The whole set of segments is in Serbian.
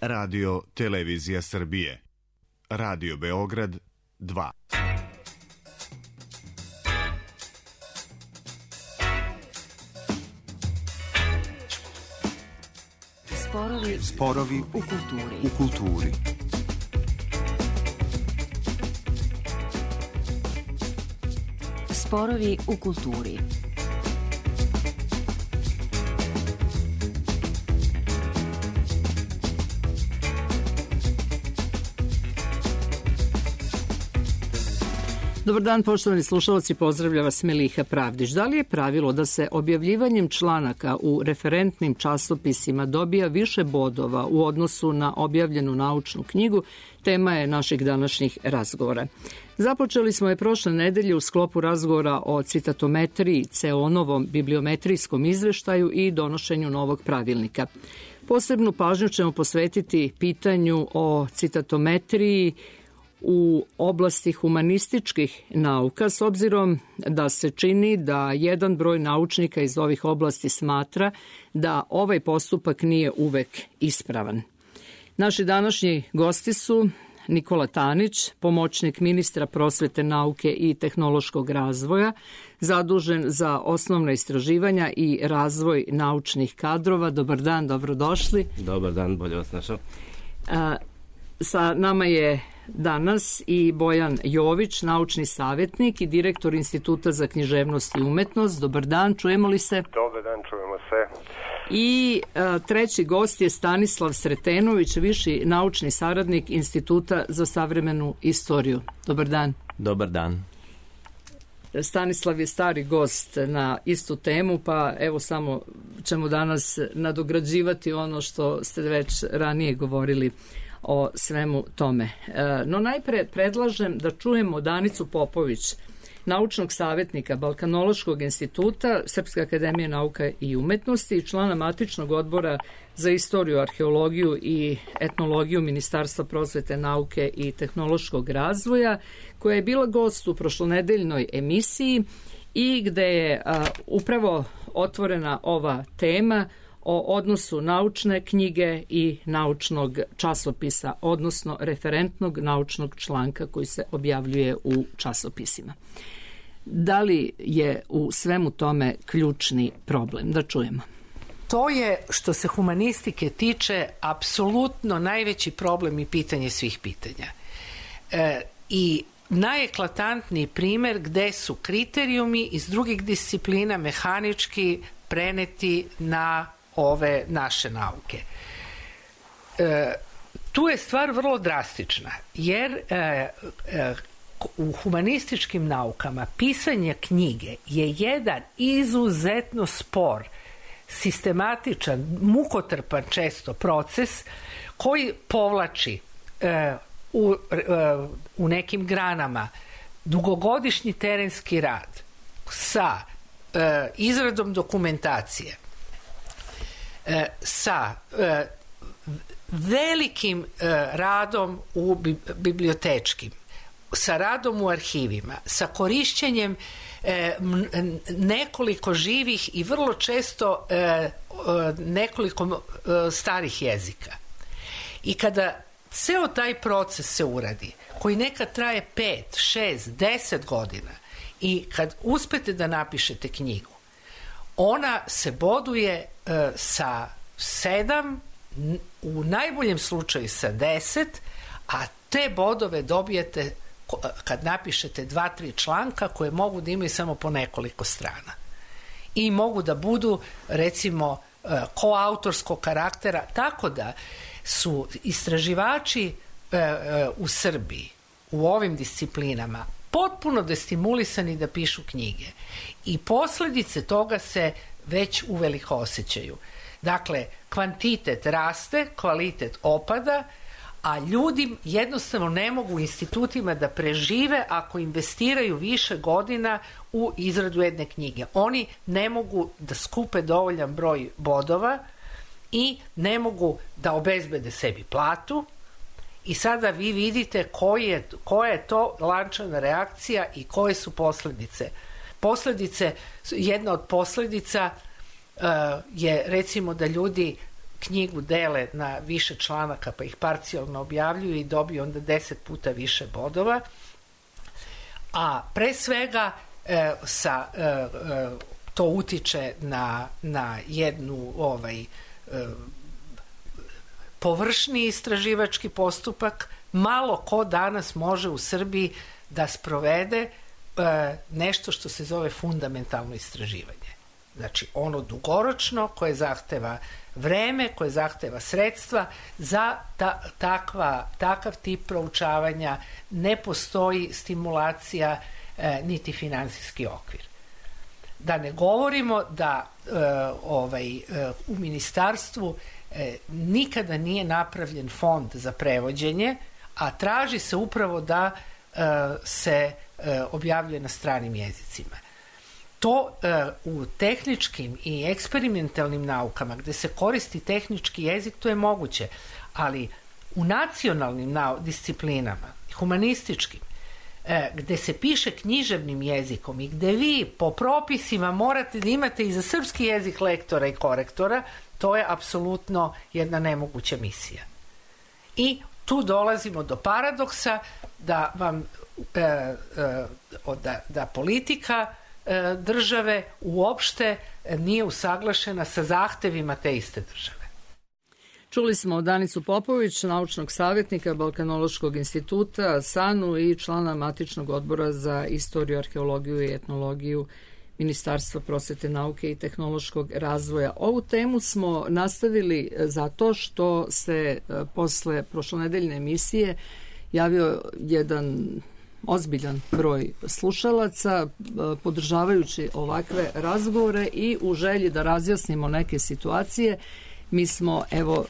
Radio Televizija Srbije. Radio Beograd 2. Sporovi u kulturi. Sporovi u kulturi. Dobar dan, poštovani slušalci, pozdravlja vas Meliha Pravdić. Da li je pravilo da se objavljivanjem članaka u referentnim časopisima dobija više bodova u odnosu na objavljenu naučnu knjigu, tema je naših današnjih razgovora. Započeli smo je prošle nedelje u sklopu razgovora o citatometriji, CEON-ovom bibliometrijskom izveštaju i donošenju novog pravilnika. Posebnu pažnju ćemo posvetiti pitanju o citatometriji u oblasti humanističkih nauka, s obzirom da se čini da jedan broj naučnika iz ovih oblasti smatra da ovaj postupak nije uvek ispravan. Naši današnji gosti su Nikola Tanić, pomoćnik ministra prosvete, nauke i tehnološkog razvoja, zadužen za osnovna istraživanja i razvoj naučnih kadrova. Dobar dan, dobrodošli. Dobar dan, bolje vas našao. Sa nama je danas i Bojan Jović, naučni savjetnik i direktor Instituta za književnost i umetnost. Dobar dan, čujemo li se? Dobar dan, čujemo se. I treći gost je Stanislav Sretenović, viši naučni saradnik Instituta za savremenu istoriju. Dobar dan. Dobar dan. Stanislav je stari gost na istu temu, pa evo samo ćemo danas nadograđivati ono što ste već ranije govorili o svemu tome. No najpre predlažem da čujemo Danicu Popović, naučnog savjetnika Balkanološkog instituta Srpske akademije nauka i umetnosti i člana matičnog odbora za istoriju, arheologiju i etnologiju Ministarstva prosvete, nauke i tehnološkog razvoja, koja je bila gost u prošlonedeljnoj emisiji i gde je upravo otvorena ova tema o odnosu naučne knjige i naučnog časopisa, odnosno referentnog naučnog članka koji se objavljuje u časopisima. Da li je u svemu tome ključni problem? Da čujemo. To je, što se humanistike tiče, apsolutno najveći problem i pitanje svih pitanja. I najeklatantniji primer gde su kriterijumi iz drugih disciplina mehanički preneti na ove naše nauke. Tu je stvar vrlo drastična, jer u humanističkim naukama pisanje knjige je jedan izuzetno spor, sistematičan, mukotrpan često proces koji povlači u nekim granama dugogodišnji terenski rad sa izradom dokumentacije, sa velikim radom u bibliotečkim, sa radom u arhivima, sa korišćenjem nekoliko živih i vrlo često nekoliko starih jezika. I kada ceo taj proces se uradi, koji nekad traje 5, 6, 10 godina, i kad uspete da napišete knjigu, ona se boduje sa 7, u najboljem slučaju sa 10, a te bodove dobijete kad napišete 2-3 članka koje mogu da imaju samo po nekoliko strana. I mogu da budu, recimo, koautorskog karaktera, tako da su istraživači u Srbiji u ovim disciplinama potpuno destimulisani da pišu knjige. I posledice toga se već uveliko osjećaju. Dakle, kvantitet raste, kvalitet opada, a ljudi jednostavno ne mogu u institutima da prežive ako investiraju više godina u izradu jedne knjige. Oni ne mogu da skupe dovoljan broj bodova i ne mogu da obezbede sebi platu. I sada vi vidite koja je to lančana reakcija i koje su posledice. Jedna od posledica je, recimo, da ljudi knjigu dele na više članaka pa ih parcijalno objavljuju i dobiju onda 10 puta više bodova. A pre svega to utiče na jednu površni istraživački postupak. Malo ko danas može u Srbiji da sprovede nešto što se zove fundamentalno istraživanje. Znači ono dugoročno koje zahteva vreme, koje zahteva sredstva. Za takav tip proučavanja ne postoji stimulacija niti finansijski okvir. Da ne govorimo da u ministarstvu nikada nije napravljen fond za prevođenje, a traži se upravo da se objavljuje na stranim jezicima. To u tehničkim i eksperimentalnim naukama gde se koristi tehnički jezik, to je moguće, ali u nacionalnim disciplinama, humanističkim, gde se piše književnim jezikom i gde vi po propisima morate da imate i za srpski jezik lektora i korektora, to je apsolutno jedna nemoguća misija. I tu dolazimo do paradoksa da politika države uopšte nije usaglašena sa zahtevima te iste države. Čuli smo Danicu Popović, naučnog savjetnika Balkanološkog instituta SANU i člana Matičnog odbora za istoriju, arheologiju i etnologiju Ministarstva prosvete, nauke i tehnološkog razvoja. Ovu temu smo nastavili zato što se posle prošlonedeljne emisije javio jedan ozbiljan broj slušalaca podržavajući ovakve razgovore i u želji da razjasnimo neke situacije mi smo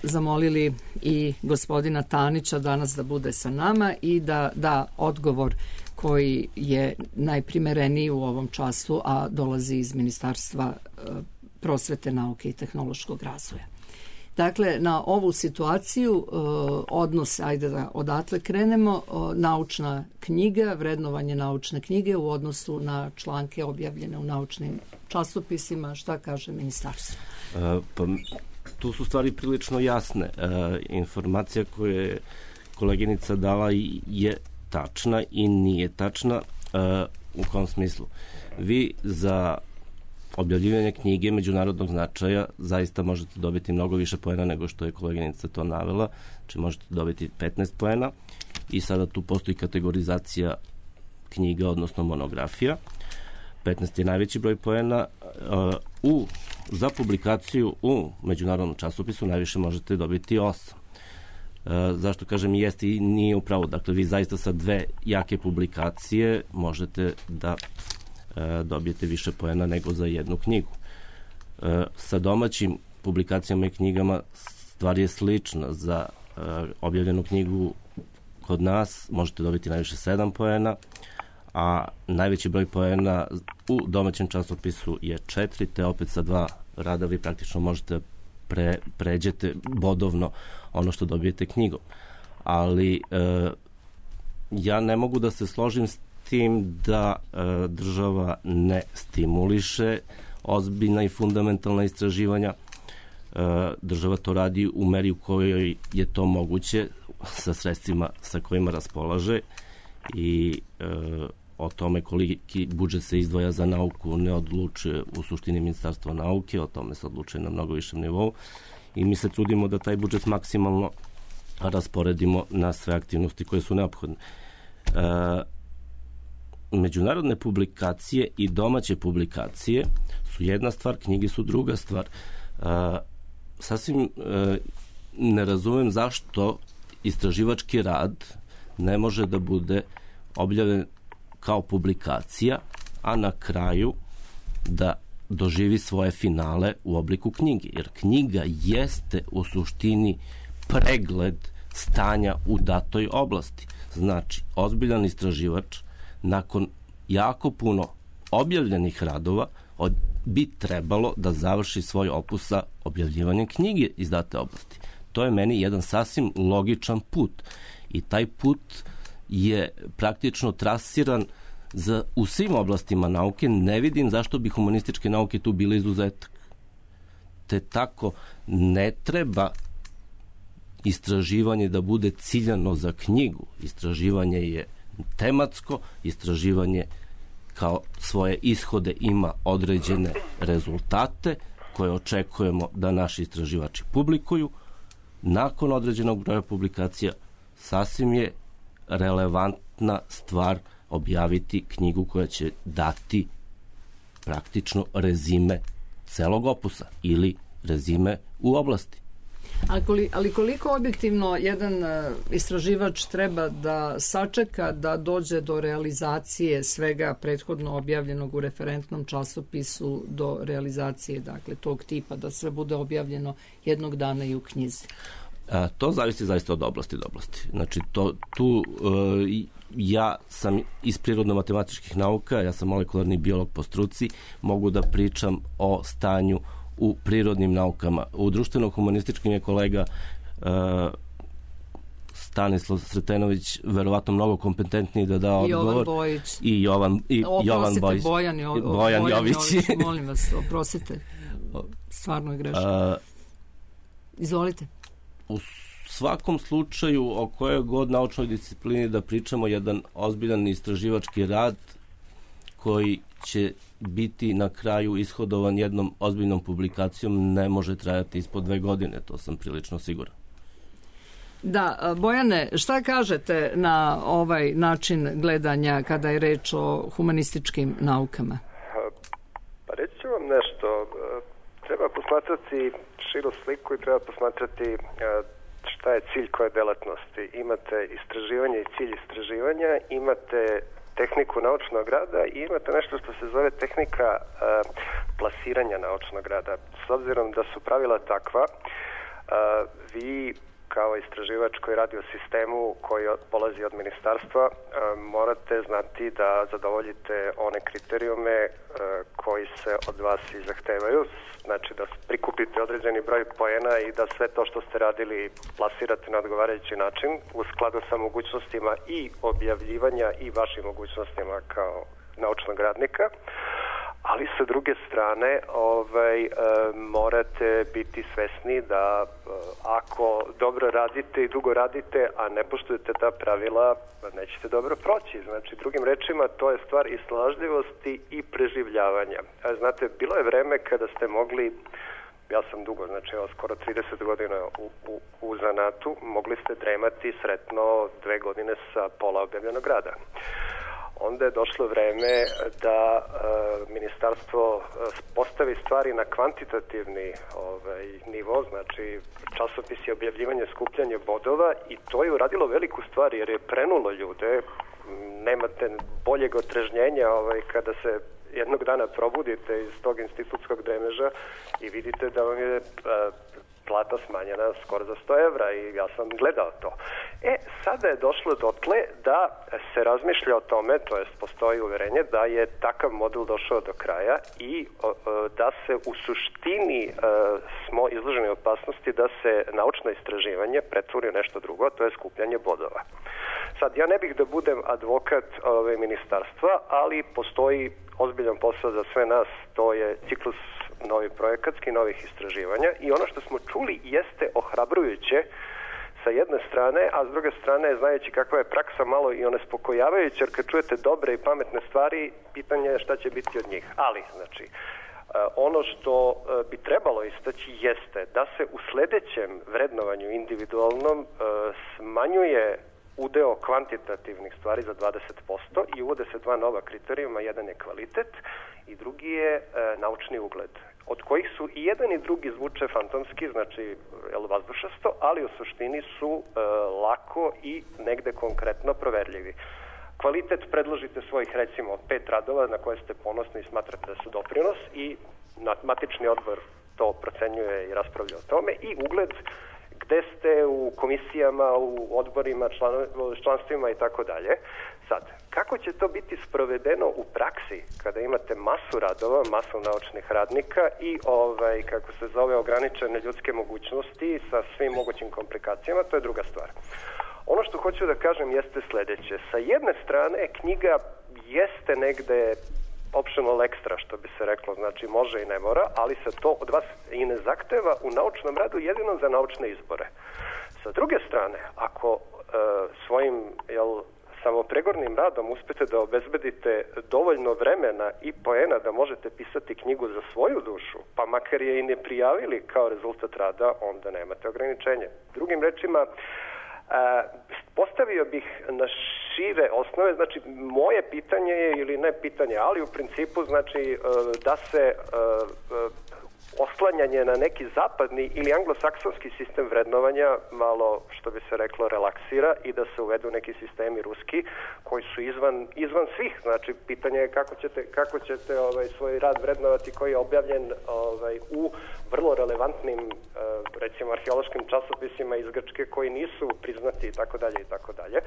zamolili i gospodina Tanića danas da bude sa nama i da da odgovor koji je najprimereniji u ovom času, a dolazi iz Ministarstva prosvete, nauke i tehnološkog razvoja. Dakle, na ovu situaciju odnos, ajde da odatle krenemo, naučna knjiga, vrednovanje naučne knjige u odnosu na članke objavljene u naučnim časopisima, šta kaže ministarstvo? Tu su stvari prilično jasne. Informacija koju je koleginica dala je tačna i nije tačna. U kom smislu? Vi za objavljivanje knjige međunarodnog značaja zaista možete dobiti mnogo više poena nego što je koleginica to navela. Znači možete dobiti 15 poena i sada tu postoji kategorizacija knjiga, odnosno monografija. 15 je najveći broj poena. Za publikaciju u međunarodnom časopisu najviše možete dobiti 8. Zašto kažem jeste i nije upravo. Dakle, vi zaista sa 2 jake publikacije možete da dobijete više poena nego za jednu knjigu. Sa domaćim publikacijama i knjigama stvar je slična. Za objavljenu knjigu kod nas možete dobiti najviše 7 poena, a najveći broj poena u domaćem časopisu je 4, te opet sa 2 rada vi praktično možete pređete bodovno ono što dobijete knjigom. Ali ja ne mogu da se složim s tim da država ne stimuliše ozbiljna i fundamentalna istraživanja. Država to radi u meri u kojoj je to moguće sa sredstvima sa kojima raspolaže i o tome koliki budžet se izdvaja za nauku ne odlučuje u suštini Ministarstvo nauke, o tome se odlučuje na mnogo višem nivou i mi se trudimo da taj budžet maksimalno rasporedimo na sve aktivnosti koje su neophodne. Međunarodne publikacije i domaće publikacije su jedna stvar, knjige su druga stvar. Sasvim ne razumem zašto istraživački rad ne može da bude objavljen kao publikacija, a na kraju da doživi svoje finale u obliku knjige. Jer knjiga jeste u suštini pregled stanja u datoj oblasti. Znači, ozbiljan istraživač nakon jako puno objavljenih radova bi trebalo da završi svoj opus sa objavljivanjem knjige iz date oblasti. To je meni jedan sasvim logičan put i taj put je praktično trasiran u svim oblastima nauke. Ne vidim zašto bi humanističke nauke tu bile izuzetak. te tako ne treba istraživanje da bude ciljano za knjigu. Istraživanje je tematsko, istraživanje kao svoje ishode ima određene rezultate koje očekujemo da naši istraživači publikuju. Nakon određenog broja publikacija sasvim je relevantna stvar objaviti knjigu koja će dati praktično rezime celog opusa ili rezime u oblasti. Ali koliko objektivno jedan istraživač treba da sačeka da dođe do realizacije svega prethodno objavljenog u referentnom časopisu do realizacije, dakle, tog tipa, da sve bude objavljeno jednog dana i u knjizi? To zavisi zaista od oblasti do oblasti. Znači, ja sam iz prirodno-matematičkih nauka, ja sam molekularni biolog po struci, mogu da pričam o stanju u prirodnim naukama. U društveno-humanističkim je kolega Stanislav Sretenović verovatno mnogo kompetentniji da da odgovor. I Jovan Bojić. Bojan Jović. Molim vas, oprostite. Stvarno je grešno. Izvolite. U svakom slučaju, o kojoj god naučnoj disciplini da pričamo, jedan ozbiljan istraživački rad koji će biti na kraju ishodovan jednom ozbiljnom publikacijom ne može trajati ispod 2 godine, to sam prilično siguran. Da, Bojane, šta kažete na ovaj način gledanja kada je reč o humanističkim naukama? Pa reći ću vam nešto. Treba posmatrati širu sliku i treba posmatrati šta je cilj koje delatnosti. Imate istraživanje i cilj istraživanja, imate tehniku naučnog rada i imate nešto što se zove tehnika plasiranja naučnog rada. S obzirom da su pravila takva, vi kao istraživač koji radi u sistemu koji polazi od ministarstva, morate znati da zadovoljite one kriterijume koji se od vas i zahtevaju, znači da prikupite određeni broj poena i da sve to što ste radili plasirate na odgovarajući način u skladu sa mogućnostima i objavljivanja i vašim mogućnostima kao naučnog radnika. Ali sa druge strane morate biti svesni da ako dobro radite i dugo radite, a ne poštujete ta pravila, nećete dobro proći. Znači, drugim rečima, to je stvar i snalažljivosti i preživljavanja. Znate, bilo je vreme kada ste mogli, ja sam dugo, znači skoro 30 godina u zanatu, mogli ste dremati sretno 2 godine sa pola objavljenog rada. Onda je došlo vreme da ministarstvo postavi stvari na kvantitativni nivo, znači časopis je objavljivanje, skupljanje bodova i to je uradilo veliku stvar jer je prenulo ljude. Nemate boljeg otrežnjenja kada se jednog dana probudite iz tog institutskog dremeža i vidite da vam je plata smanjena skoro za 100 evra i ja sam gledao to. Sada je došlo dotle da se razmišlja o tome, to jest postoji uverenje da je takav model došao do kraja i da se u suštini smo izloženi opasnosti da se naučno istraživanje pretvori u nešto drugo, to je skupljanje bodova. Sad, ja ne bih da budem advokat ministarstva, ali postoji ozbiljan posao za sve nas, to je ciklus novi projekatski, novih istraživanja i ono što smo čuli jeste ohrabrujuće sa jedne strane, a s druge strane, znajući kakva je praksa, malo i onespokojavajuće, jer kad čujete dobre i pametne stvari, pitanje je šta će biti od njih. Ali, znači, ono što bi trebalo istaći jeste da se u sledećem vrednovanju individualnom smanjuje udeo kvantitativnih stvari za 20% i uvode se 2 nova kriterijuma, jedan je kvalitet i drugi je naučni ugled, od kojih su i jedan i drugi zvuče fantomski, znači vazdušasto, ali u suštini su lako i negde konkretno proverljivi. Kvalitet predložite svojih recimo 5 radova na koje ste ponosni i smatrate da su doprinos i matični odbor to procenjuje i raspravlja o tome i ugled gde ste u komisijama, u odborima, članstvima i tako dalje. Sad, kako će to biti sprovedeno u praksi kada imate masu radova, masu naučnih radnika i kako se zove ograničene ljudske mogućnosti sa svim mogućim komplikacijama, to je druga stvar. Ono što hoću da kažem jeste sledeće. Sa jedne strane, knjiga jeste negde optional extra, što bi se reklo, znači može i ne mora, ali se to od vas i ne zahteva u naučnom radu jedino za naučne izbore. Sa druge strane, ako svojim samopregornim radom uspete da obezbedite dovoljno vremena i poena da možete pisati knjigu za svoju dušu, pa makar je i ne prijavili kao rezultat rada, onda nemate ograničenje. Drugim rečima, postavio bih na šire osnove, znači moje pitanje je, ili ne pitanje, ali u principu znači da se oslanjanje na neki zapadni ili anglosaksonski sistem vrednovanja malo, što bi se reklo, relaksira i da se uvedu neki sistemi ruski koji su izvan svih. Znači, pitanje je kako ćete svoj rad vrednovati koji je objavljen u vrlo relevantnim, recimo, arheološkim časopisima iz Grčke koji nisu priznati i tako dalje i tako dalje.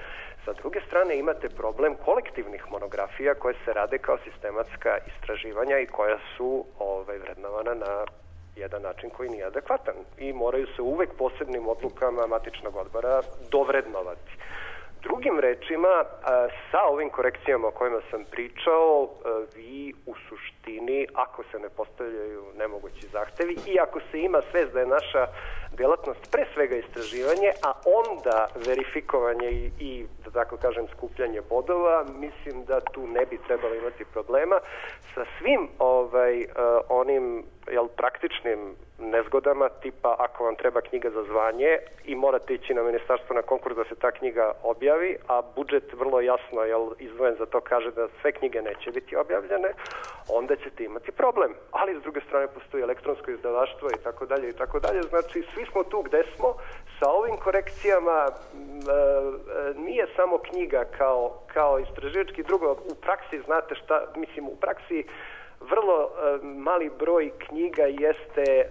Sa druge strane imate problem kolektivnih monografija koje se rade kao sistematska istraživanja i koja su vrednovana na jedan način koji nije adekvatan i moraju se uvek posebnim odlukama matičnog odbora dovrednovati. Drugim rečima, sa ovim korekcijama o kojima sam pričao, vi u suštini, ako se ne postavljaju nemogući zahtevi i ako se ima svest da je naša delatnost pre svega istraživanje, a onda verifikovanje i da tako kažem, skupljanje bodova, mislim da tu ne bi trebalo imati problema sa svim onim praktičnim nezgodama, tipa ako vam treba knjiga za zvanje i morate ići na ministarstvo na konkurs da se ta knjiga objavi, a budžet vrlo jasno izdvojen za to kaže da sve knjige neće biti objavljene, onda ćete imati problem. Ali s druge strane postoji elektronsko izdavaštvo i tako dalje i tako dalje. Znači svi smo tu gde smo. Sa ovim korekcijama nije samo knjiga kao istraživački, drugo u praksi znate šta, mislim u praksi vrlo mali broj knjiga jeste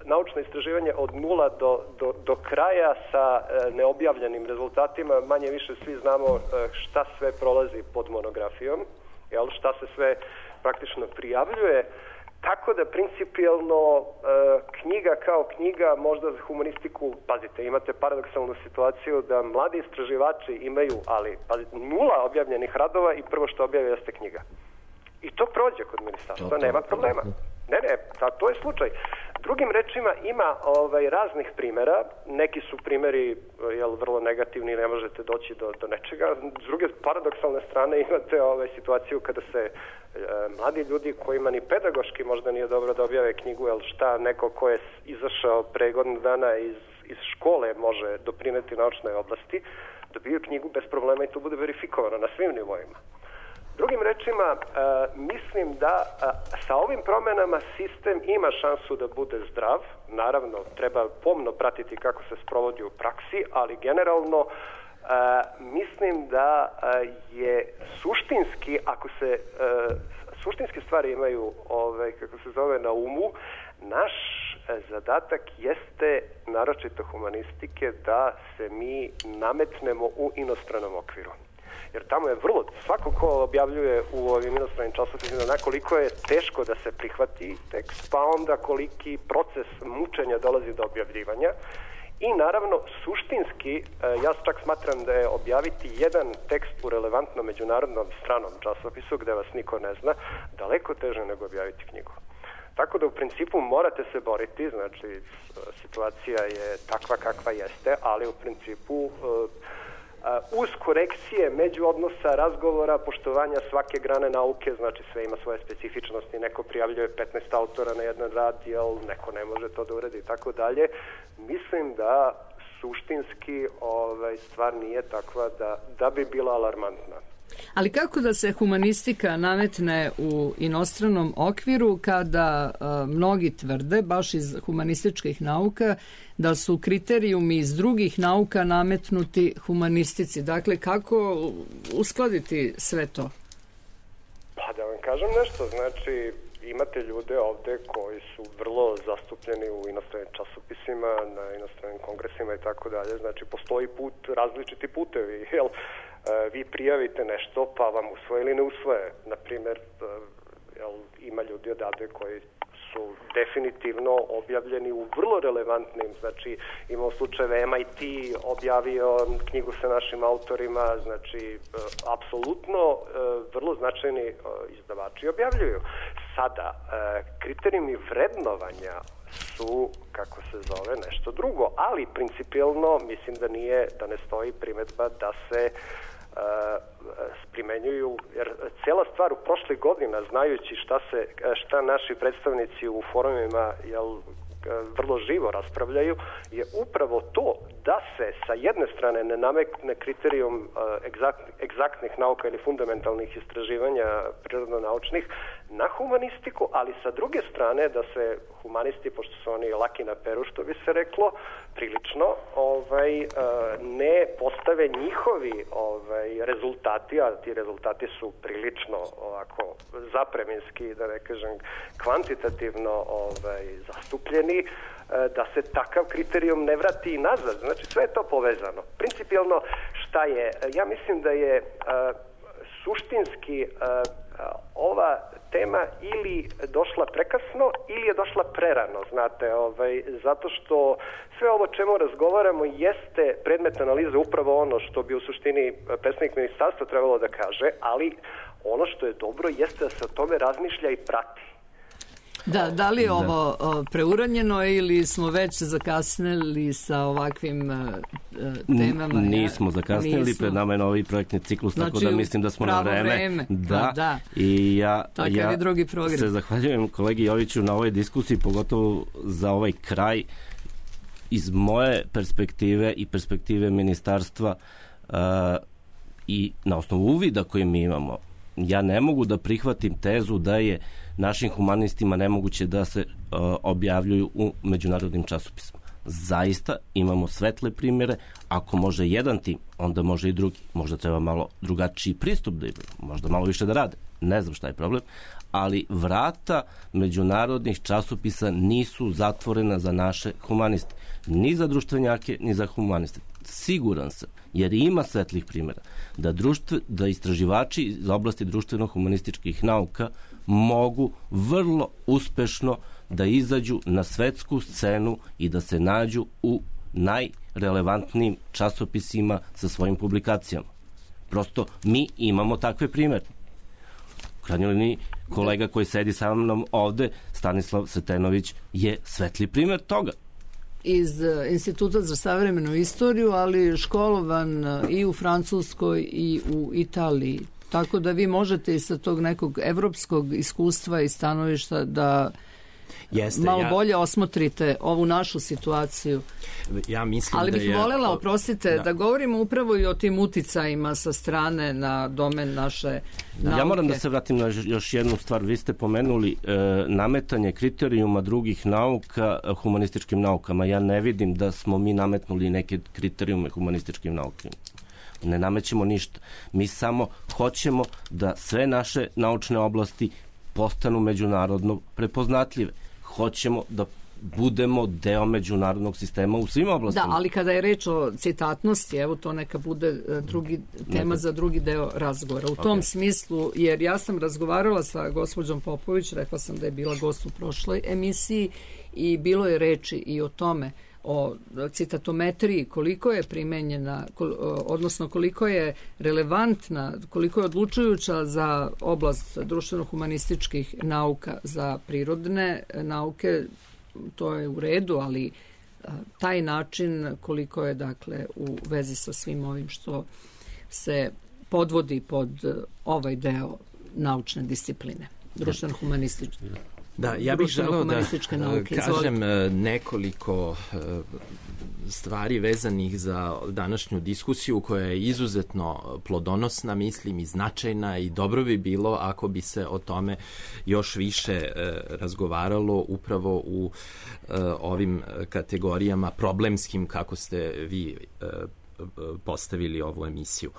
naučno istraživanje od nula do kraja sa neobjavljenim rezultatima. Manje više svi znamo šta sve prolazi pod monografijom, šta se sve praktično prijavljuje. Tako da principijelno knjiga kao knjiga, možda za humanistiku, pazite, imate paradoksalnu situaciju da mladi istraživači imaju, ali pazite, 0 objavljenih radova i prvo što objave jeste knjiga. I to prođe kod ministarstva, nema problema. Ne, to je slučaj. Drugim rečima ima raznih primera, neki su primeri vrlo negativni, ne možete doći do nečega. S druge paradoksalne strane imate situaciju kada se mladi ljudi kojima ni pedagoški možda nije dobro da objave knjigu, jer šta neko ko je izašao pre godinu dana iz škole može doprineti naučnoj oblasti, dobiju knjigu bez problema i to bude verifikovano na svim nivoima. Drugim rečima, mislim da sa ovim promenama sistem ima šansu da bude zdrav. Naravno, treba pomno pratiti kako se sprovodi u praksi, ali generalno mislim da je suštinski, ako se suštinske stvari imaju, kako se zove, na umu, naš zadatak jeste, naročito humanistike, da se mi nametnemo u inostranom okviru. Jer tamo je vrlo, svako ko objavljuje u ovim inostranim časopisima, koliko je teško da se prihvati tekst, pa onda koliki proces mučenja dolazi do objavljivanja. I naravno, suštinski, ja čak smatram da je objaviti jedan tekst u relevantnom međunarodnom stranom časopisu, gde vas niko ne zna, daleko teže nego objaviti knjigu. Tako da u principu morate se boriti, znači situacija je takva kakva jeste, ali u principu uz korekcije međuodnosa, razgovora, poštovanja svake grane nauke, znači sve ima svoje specifičnosti, neko prijavljuje 15 autora na jedan rad, neko ne može to da uredi i tako dalje. Mislim da suštinski stvar nije takva da bi bila alarmantna. Ali kako da se humanistika nametne u inostranom okviru kada mnogi tvrde, baš iz humanističkih nauka, da su kriterijumi iz drugih nauka nametnuti humanistici? Dakle, kako uskladiti sve to? Pa da vam kažem nešto, znači imate ljude ovde koji su vrlo zastupljeni u inostranim časopisima, na inostranim kongresima i tako dalje, znači postoji različiti putevi, vi prijavite nešto pa vam usvoje ili ne usvoje. Naprimjer, ima ljudi odavde koji su definitivno objavljeni u vrlo relevantnim, znači imamo slučajeve MIT objavio knjigu sa našim autorima, znači apsolutno vrlo značajni izdavači objavljuju. Sada, kriterijumi vrednovanja su, kako se zove, nešto drugo, ali principijelno mislim da ne stoji primedba da se primenjuju, jer cijela stvar u prošlih godina, znajući šta naši predstavnici u forumima vrlo živo raspravljaju, je upravo to da se sa jedne strane ne nametne kriterijum egzaktnih nauka ili fundamentalnih istraživanja prirodno-naučnih na humanistiku, ali sa druge strane da se humanisti, pošto su oni laki na peru, što bi se reklo, prilično ne postave njihovi rezultati, a ti rezultati su prilično ovako zapreminski, da ne kažem kvantitativno zastupljeni, da se takav kriterijum ne vrati nazad. Znači sve je to povezano. Principijelno šta je? Ja mislim da je suštinski ova tema ili došla prekasno ili je došla prerano, znate, zato što sve ovo čemu razgovaramo jeste predmet analize upravo ono što bi u suštini predstavnik ministarstva trebalo da kaže, ali ono što je dobro jeste da se o tome razmišlja i prati. Da li je ovo preuranjeno ili smo već zakasnili sa ovakvim temama? Nismo zakasnili, pred nama je novi projektni ciklus, znači, tako da mislim da smo na vreme. Da. I ja se zahvaljujem kolegi Joviću na ovoj diskusiji, pogotovo za ovaj kraj. Iz moje perspektive i perspektive ministarstva i na osnovu uvida koje mi imamo, ja ne mogu da prihvatim tezu da je našim humanistima nemoguće da se objavljuju u međunarodnim časopisima. Zaista imamo svetle primjere, ako može jedan tim, onda može i drugi. Možda treba malo drugačiji pristup da imaju, možda malo više da rade. Ne znam šta je problem, ali vrata međunarodnih časopisa nisu zatvorena za naše humaniste. Ni za društvenjake, ni za humaniste. Siguran sam, jer ima svetlih primjera, da istraživači iz oblasti društveno-humanističkih nauka mogu vrlo uspešno da izađu na svetsku scenu i da se nađu u najrelevantnijim časopisima sa svojim publikacijama. Prosto mi imamo takve primjere. U krajnjoj liniji, kolega koji sedi sa mnom ovde, Stanislav Sretenović, je svetli primjer toga. Iz Instituta za savremenu istoriju, ali školovan i u Francuskoj i u Italiji. Tako da vi možete i sa tog nekog evropskog iskustva i stanovišta da malo bolje osmotrite ovu našu situaciju. Ja mislim ali bih voljela, oprostite, da govorimo upravo i o tim uticajima sa strane na domen naše nauke. Ja moram da se vratim na još jednu stvar. Vi ste pomenuli nametanje kriterijuma drugih nauka humanističkim naukama. Ja ne vidim da smo mi nametnuli neke kriterijume humanističkim naukama. Ne namećemo ništa. Mi samo hoćemo da sve naše naučne oblasti postanu međunarodno prepoznatljive. Hoćemo da budemo deo međunarodnog sistema u svim oblastima. Da, ali kada je reč o citatnosti, evo to neka bude tema za drugi deo razgovora. U tom smislu, jer ja sam razgovarala sa gospođom Popović, rekla sam da je bila gost u prošloj emisiji i bilo je reči i o tome, o citatometriji, koliko je primenjena, odnosno koliko je relevantna, koliko je odlučujuća za oblast društveno-humanističkih nauka, za prirodne nauke, to je u redu, ali taj način koliko je dakle u vezi sa svim ovim što se podvodi pod ovaj deo naučne discipline, društveno-humanističke. Da, ja bih želeo da kažem nekoliko stvari vezanih za današnju diskusiju koja je izuzetno plodonosna, mislim, i značajna i dobro bi bilo ako bi se o tome još više razgovaralo upravo u ovim kategorijama problemskim kako ste vi postavili ovu emisiju.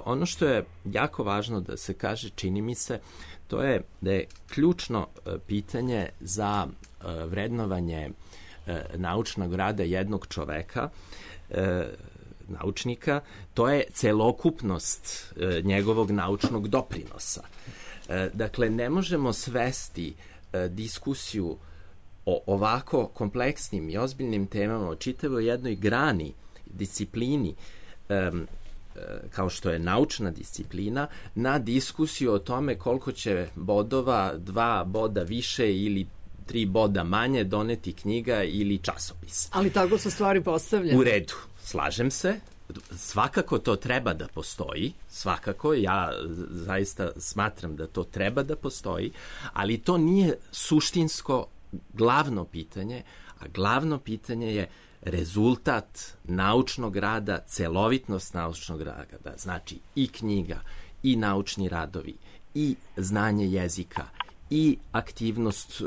Ono što je jako važno da se kaže, čini mi se, to je da je ključno pitanje za vrednovanje naučnog rada jednog čoveka, naučnika, to je celokupnost njegovog naučnog doprinosa. Dakle, ne možemo svesti diskusiju o ovako kompleksnim i ozbiljnim temama, o čitavoj jednoj grani, disciplini, kao što je naučna disciplina, na diskusiju o tome koliko će bodova, 2 boda više ili 3 boda manje doneti knjiga ili časopis. Ali tako su stvari postavljene. U redu, slažem se. Svakako to treba da postoji, svakako, ja zaista smatram da to treba da postoji, ali to nije suštinsko glavno pitanje, a glavno pitanje je rezultat naučnog rada, celovitnost naučnog rada, znači i knjiga, i naučni radovi, i znanje jezika, i aktivnost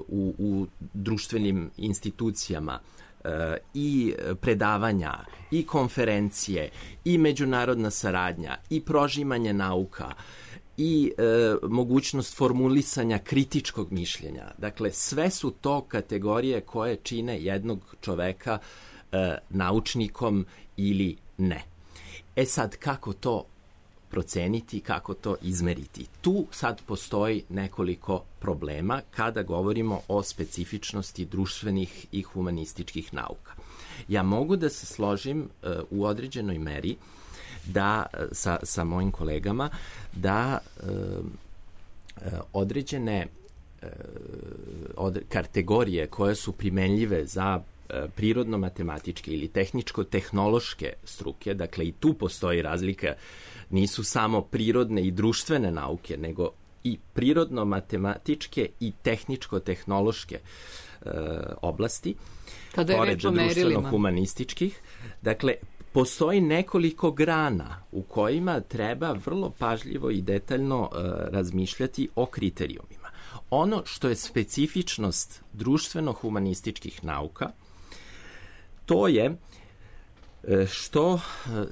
u društvenim institucijama, i predavanja, i konferencije, i međunarodna saradnja, i prožimanje nauka, i mogućnost formulisanja kritičkog mišljenja. Dakle, sve su to kategorije koje čine jednog čoveka naučnikom ili ne. E sad, kako to proceniti, kako to izmeriti? Tu sad postoji nekoliko problema kada govorimo o specifičnosti društvenih i humanističkih nauka. Ja mogu da se složim u određenoj meri da sa mojim kolegama da određene kategorije koje su primenljive za prirodno-matematičke ili tehničko-tehnološke struke, dakle i tu postoji razlika, nisu samo prirodne i društvene nauke, nego i prirodno-matematičke i tehničko-tehnološke oblasti, pored društveno-humanističkih. Dakle, postoji nekoliko grana u kojima treba vrlo pažljivo i detaljno razmišljati o kriterijumima. Ono što je specifičnost društveno-humanističkih nauka, to je što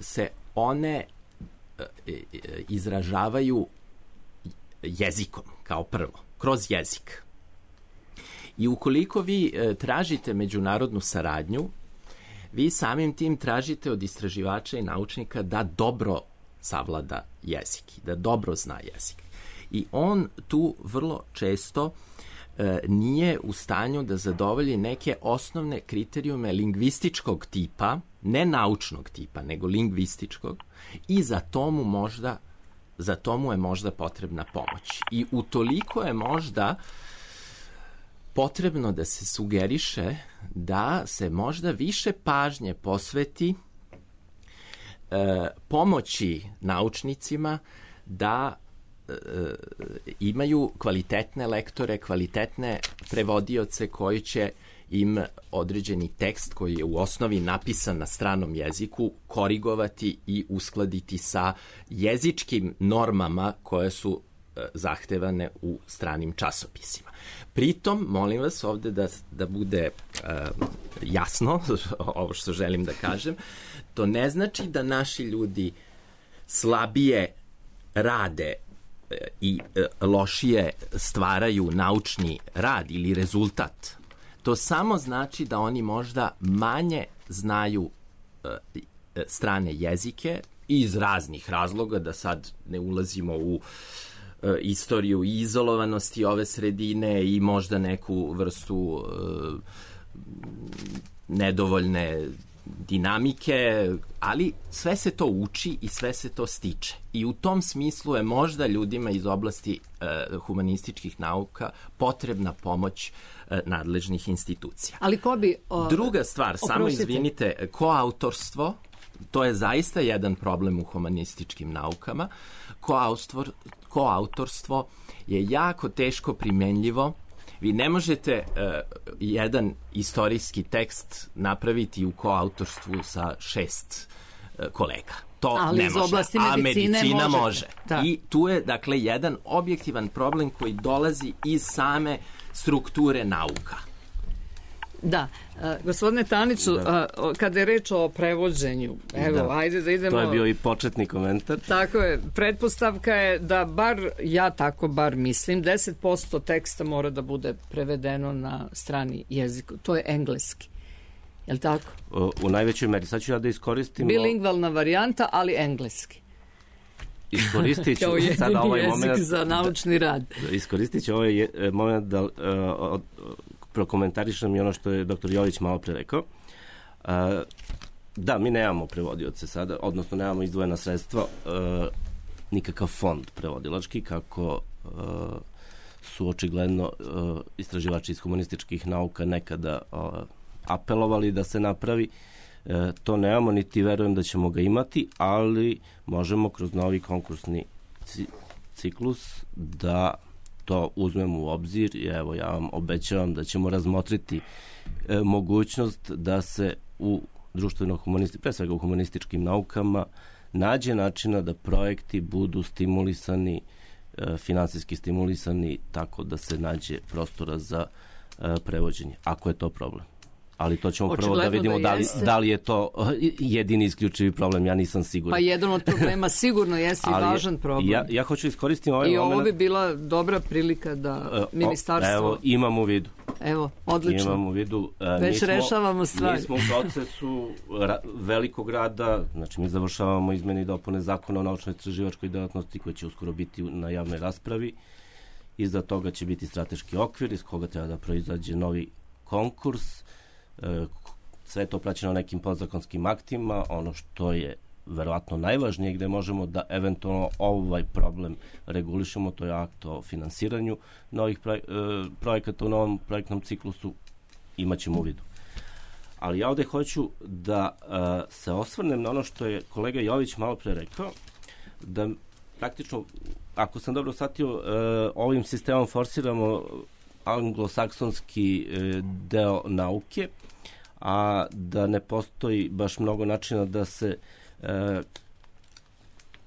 se one izražavaju jezikom, kao prvo, kroz jezik. I ukoliko vi tražite međunarodnu saradnju, vi samim tim tražite od istraživača i naučnika da dobro savlada jezik, da dobro zna jezik. I on tu vrlo često nije u stanju da zadovolji neke osnovne kriterijume lingvističkog tipa, ne naučnog tipa, nego lingvističkog, i za to mu je možda potrebna pomoć. I utoliko je možda potrebno da se sugeriše da se možda više pažnje posveti pomoći naučnicima da imaju kvalitetne lektore, kvalitetne prevodioce koji će im određeni tekst koji je u osnovi napisan na stranom jeziku korigovati i uskladiti sa jezičkim normama koje su zahtevane u stranim časopisima. Pritom, molim vas ovde da bude jasno ovo što želim da kažem, to ne znači da naši ljudi slabije rade i lošije stvaraju naučni rad ili rezultat. To samo znači da oni možda manje znaju strane jezike iz raznih razloga, da sad ne ulazimo u istoriju i izolovanosti ove sredine i možda neku vrstu nedovoljne dinamike, ali sve se to uči i sve se to stiče. I u tom smislu je možda ljudima iz oblasti humanističkih nauka potrebna pomoć nadležnih institucija. Ali ko bi... Druga stvar, samo izvinite, koautorstvo, to je zaista jedan problem u humanističkim naukama. Koautorstvo je jako teško primenljivo. Vi ne možete jedan istorijski tekst napraviti u koautorstvu sa 6 kolega. To ali ne može. Oblasti a medicina može. Da. I tu je, dakle, jedan objektivan problem koji dolazi iz same strukture nauka. Da. Gospodine Taniću, kada je reč o prevođenju, evo, ajde da idemo... To je bio i početni komentar. Tako je. Pretpostavka je da ja tako mislim, 10% teksta mora da bude prevedeno na strani jeziku. To je engleski. Je li tako? U najvećoj meri. Sad ću ja da iskoristim... Bilingvalna varijanta, ali engleski. iskoristit ću sada ovaj moment za naučni rad. Iskoristit ću ovaj moment da prokomentarišem i ono što je dr. Jović malo pre rekao. Da, mi nemamo prevodioce sada, odnosno nemamo izdvojena sredstva, nikakav fond prevodilački, kako su očigledno istraživači iz humanističkih nauka nekada apelovali da se napravi. To nemamo, niti verujem da ćemo ga imati, ali možemo kroz novi konkursni ciklus da to uzmemo u obzir i evo ja vam obećavam da ćemo razmotriti mogućnost da se u pre svega u humanističkim naukama nađe načina da projekti budu stimulisani, finansijski stimulisani tako da se nađe prostora za prevođenje, ako je to problem. Ali to ćemo prvo da vidimo da li je to jedini isključivi problem, ja nisam siguran. Pa jedan od problema sigurno jeste i važan problem. Ja hoću iskoristiti ovaj moment. I ovo bi bila dobra prilika da ministarstvo... Evo, imam u vidu. Evo, odlično. Imam u vidu. Već rešavamo stvari. Mi smo u procesu velikog rada, znači mi završavamo izmene i dopune zakona o naučno-istraživačkoj delatnosti koji će uskoro biti na javnoj raspravi. Iza toga će biti strateški okvir iz koga treba da proizađe novi konkurs. Sve je to praćeno nekim podzakonskim aktima. Ono što je verovatno najvažnije gde možemo da eventualno ovaj problem regulišemo, to je akt o finansiranju novih projekata u novom projektnom ciklusu, imaćemo u vidu. Ali ja ovde hoću da se osvrnem na ono što je kolega Jović malo pre rekao, da praktično, ako sam dobro shvatio, ovim sistemom forsiramo anglosaksonski deo nauke, a da ne postoji baš mnogo načina da se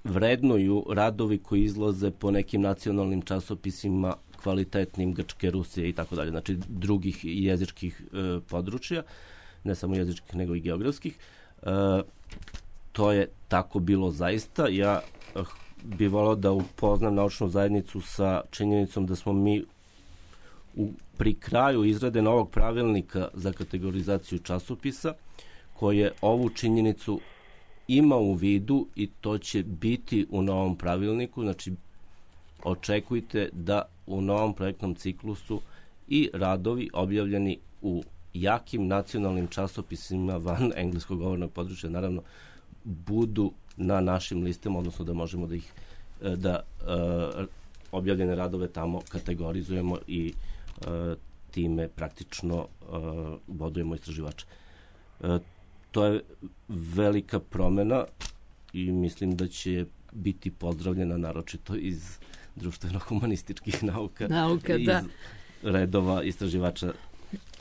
vrednuju radovi koji izlaze po nekim nacionalnim časopisima kvalitetnim Grčke, Rusije i tako dalje, znači drugih jezičkih područja, ne samo jezičkih nego i geografskih. To je tako bilo zaista. Ja bih volao da upoznam naučnu zajednicu sa činjenicom da smo mi pri kraju izrade novog pravilnika za kategorizaciju časopisa, koje ovu činjenicu ima u vidu i to će biti u novom pravilniku. Znači, očekujte da u novom projektnom ciklusu i radovi objavljeni u jakim nacionalnim časopisima van engleskog govornog područja, naravno, budu na našim listama, odnosno da možemo da ih objavljene radove tamo kategorizujemo i time praktično bodujemo istraživača. To je velika promena i mislim da će biti pozdravljena naročito iz društveno-humanističkih nauka iz redova istraživača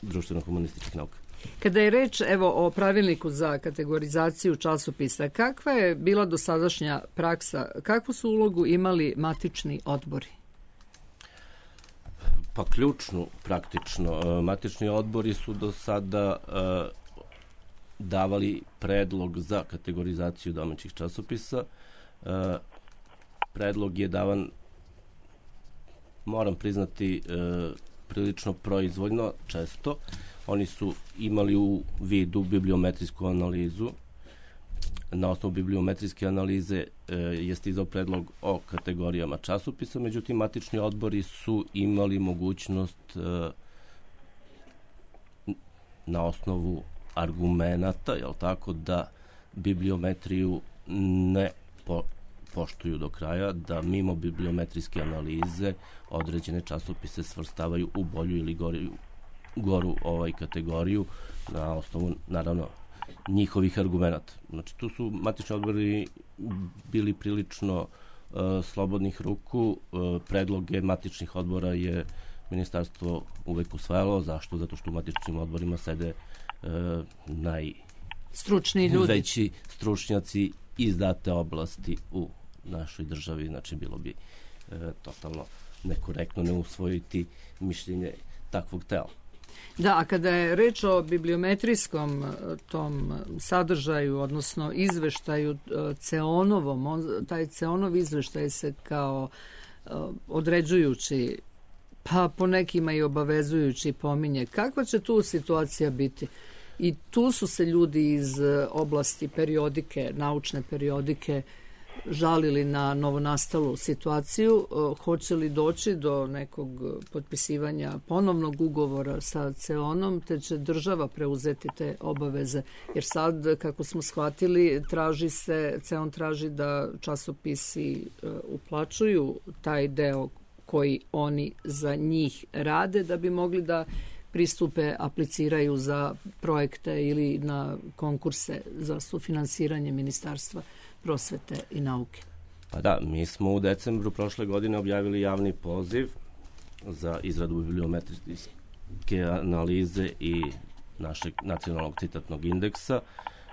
društveno-humanističkih nauka. Kada je reč o pravilniku za kategorizaciju časopisa, kakva je bila dosadašnja praksa? Kakvu su ulogu imali matični odbori? Pa ključnu, praktično. Matični odbori su do sada davali predlog za kategorizaciju domaćih časopisa. Predlog je davan, moram priznati, prilično proizvoljno, često. Oni su imali u vidu bibliometrijsku analizu. Na osnovu bibliometrijske analize je stizao predlog o kategorijama časopisa, međutim, matični odbori su imali mogućnost na osnovu argumenata, jel tako, da bibliometriju ne poštuju do kraja, da mimo bibliometrijske analize određene časopise svrstavaju u bolju ili goru kategoriju na osnovu, naravno, njihovih argumenata. Znači, tu su matični odbori bili prilično slobodnih ruku. Predloge matičnih odbora je ministarstvo uvek usvajalo. Zašto? Zato što u matičnim odborima sede stručni ljudi, veći stručnjaci iz date oblasti u našoj državi. Znači, bilo bi totalno nekorektno ne usvojiti mišljenje takvog tela. Da, a kada je reč o bibliometrijskom tom sadržaju, odnosno izveštaju CEON-ovom, taj CEON-ov izveštaj se kao određujući, pa po nekima i obavezujući pominje. Kakva će tu situacija biti? I tu su se ljudi iz oblasti periodike, naučne periodike, žalili na novonastalu situaciju, hoće li doći do nekog potpisivanja ponovnog ugovora sa CEON-om, te će država preuzeti te obaveze? Jer sad, kako smo shvatili, CEON traži da časopisi uplaćuju taj deo koji oni za njih rade da bi mogli da pristupe, apliciraju za projekte ili na konkurse za sufinansiranje Ministarstva prosvete i nauke. Pa da, mi smo u decembru prošle godine objavili javni poziv za izradu bibliometrijske analize i našeg nacionalnog citatnog indeksa.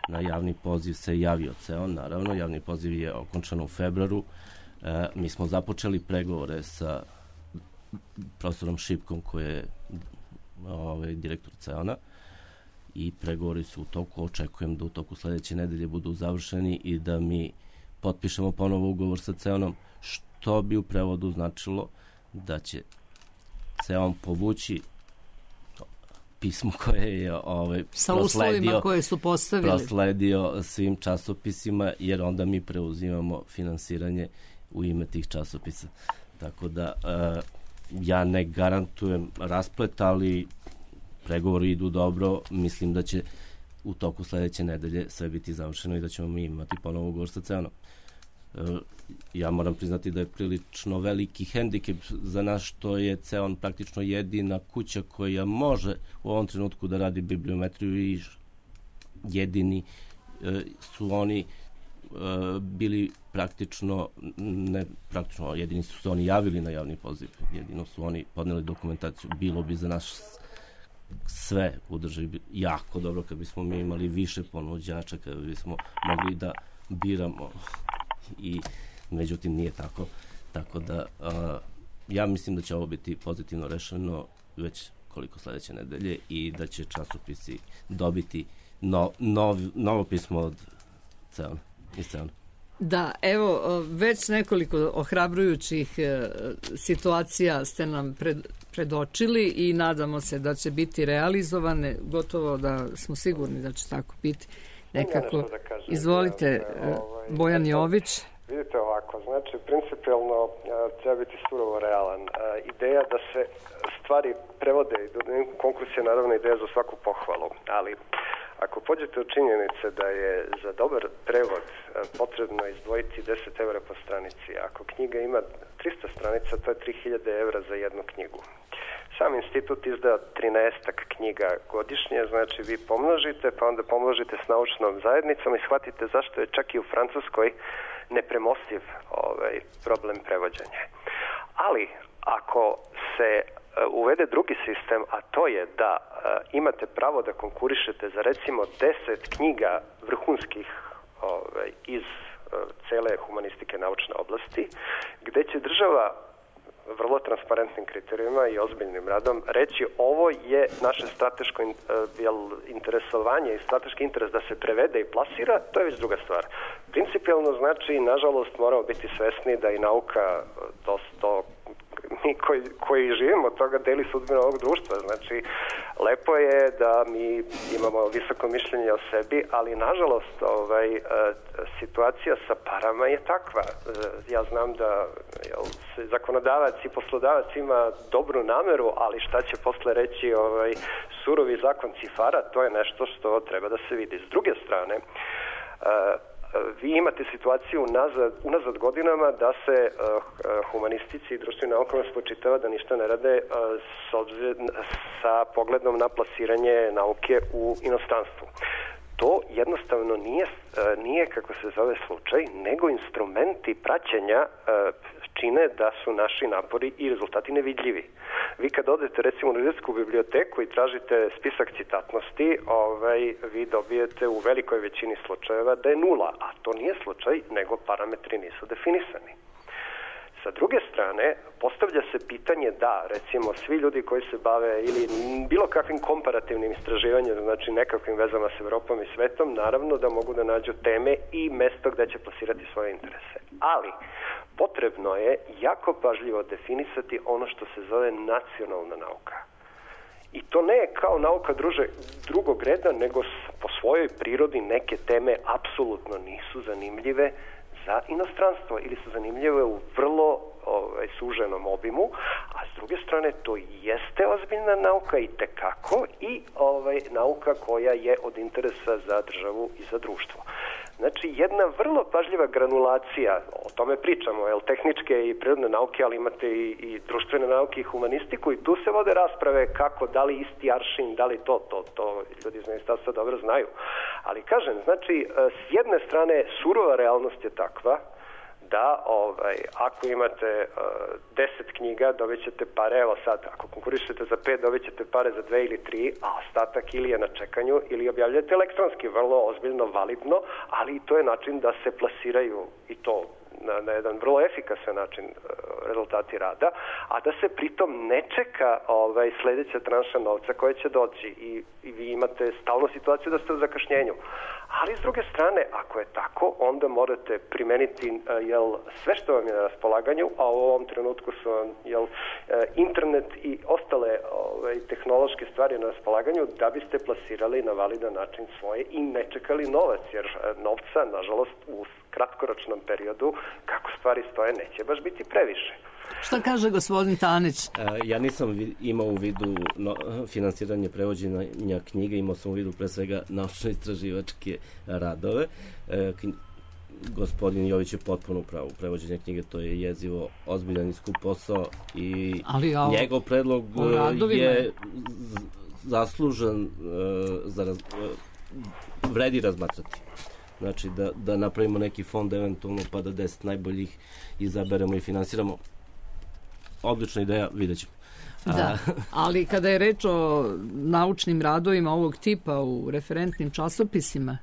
Na javni poziv se javio CEON, naravno, javni poziv je okončan u februaru. Mi smo započeli pregovore sa profesorom Šipkom, koji je direktor CEON-a, i pregovori su u toku. Očekujem da u toku sledeće nedelje budu završeni i da mi potpišemo ponovo ugovor sa CEON-om, što bi u prevodu značilo da će CEON povući pismo koje je sa uslovima koje su postavili, prosledio svim časopisima, jer onda mi preuzimamo finansiranje u ime tih časopisa. Tako da ja ne garantujem rasplet, ali pregovori idu dobro. Mislim da će u toku sledeće nedelje sve biti završeno i da ćemo mi imati ponovo ugovor sa CEON-om. Ja moram priznati da je prilično veliki hendikep za nas što je CEON praktično jedina kuća koja može u ovom trenutku da radi bibliometriju i jedini su oni bili jedini su se oni javili na javni poziv, jedino su oni podneli dokumentaciju. Bilo bi za nas sve u državi jako dobro kad bismo mi imali više ponuđača, kad bismo mogli da biramo, i međutim nije tako. Tako da ja mislim da će ovo biti pozitivno rešeno već koliko sledeće nedelje i da će časopisi dobiti novo pismo od CEON. Da, evo, već nekoliko ohrabrujućih situacija ste nam predočili i nadamo se da će biti realizovane, gotovo da smo sigurni da će tako biti nekako. Izvolite, Bojan Jović. Vidite ovako, znači principijalno treba biti surovo realan. Ideja da se stvari prevode i konkurs je naravno ideja za svaku pohvalu, ali ako pođete od činjenice da je za dobar prevod potrebno izdvojiti 10 € po stranici, ako knjiga ima 300 stranica, to je 3000 € za jednu knjigu. Sam institut izda 13 knjiga godišnje, znači vi pomnožite, pa onda pomnožite s naučnom zajednicom i shvatite zašto je čak i u Francuskoj nepremostiv problem prevođenja. Ali ako se uvede drugi sistem, a to je da imate pravo da konkurišete za recimo 10 knjiga vrhunskih iz cele humanistike naučne oblasti, gde će država vrlo transparentnim kriterijima i ozbiljnim radom reći ovo je naše strateško interesovanje i strateški interes da se prevede i plasira, to je već druga stvar. Principijalno znači, nažalost, moramo biti svesni da i nauka mi koji živimo od toga deli sudbinu ovog društva. Znači, lepo je da mi imamo visoko mišljenje o sebi, ali nažalost situacija sa parama je takva. Ja znam da zakonodavac i poslodavac ima dobru nameru, ali šta će posle reći surovi zakon cifara, to je nešto što treba da se vidi. S druge strane, vi imate situaciju unazad godinama da se humanistici i društvenim naukama spočitava da ništa ne rade sa pogledom na plasiranje nauke u inostranstvu. To jednostavno nije kako se zove slučaj, nego instrumenti praćenja čine da su naši napori i rezultati nevidljivi. Vi kad odete recimo u univerzitetsku biblioteku i tražite spisak citatnosti, vi dobijete u velikoj većini slučajeva da je 0, a to nije slučaj, nego parametri nisu definisani. Sa druge strane, postavlja se pitanje da, recimo, svi ljudi koji se bave ili bilo kakvim komparativnim istraživanjem, znači nekakvim vezama s Evropom i svetom, naravno da mogu da nađu teme i mesto gde će plasirati svoje interese. Ali, potrebno je jako pažljivo definisati ono što se zove nacionalna nauka. I to ne je kao nauka drugog reda, nego po svojoj prirodi neke teme apsolutno nisu zanimljive za inostranstvo ili su zanimljive u vrlo suženom obimu, a s druge strane to jeste ozbiljna nauka i tekako i nauka koja je od interesa za državu i za društvo. Znači, jedna vrlo pažljiva granulacija, o tome pričamo, tehničke i prirodne nauke, ali imate i društvene nauke i humanistiku, i tu se vode rasprave kako, da li isti aršin, da li to ljudi iz ministarstva dobro znaju. Ali kažem, znači, s jedne strane surova realnost je takva da ako imate 10 knjiga dobit ćete pare, evo sad, ako konkurišete za 5 dobit ćete pare za 2 ili 3, a ostatak ili je na čekanju ili objavljate elektronski, vrlo ozbiljno, validno, ali i to je način da se plasiraju i to na jedan vrlo efikasan način rezultati rada, a da se pritom ne čeka sledeća tranša novca koja će doći i vi imate stalnu situaciju da ste u zakašnjenju. Ali s druge strane, ako je tako, onda morate primeniti sve što vam je na raspolaganju, a u ovom trenutku su vam internet i ostale tehnološke stvari na raspolaganju da biste plasirali na validan način svoje i ne čekali novac, jer novca, nažalost, u kratkoročnom periodu, kako stvari stoje, neće baš biti previše. Šta kaže gospodin Tanić? Ja nisam imao u vidu finansiranje prevođenja knjiga, imao sam u vidu pre svega naučno-istraživačke radove. Gospodin Jović je potpuno upravo. Prevođenje knjige, to je jezivo ozbiljan i skup posao i njegov predlog je zaslužen, vredi razmatrati. Znači da napravimo neki fond eventualno pa da 10 najboljih izaberemo i finansiramo. Odlična ideja, vidjet ćemo. Da, ali kada je reč o naučnim radovima ovog tipa u referentnim časopisima,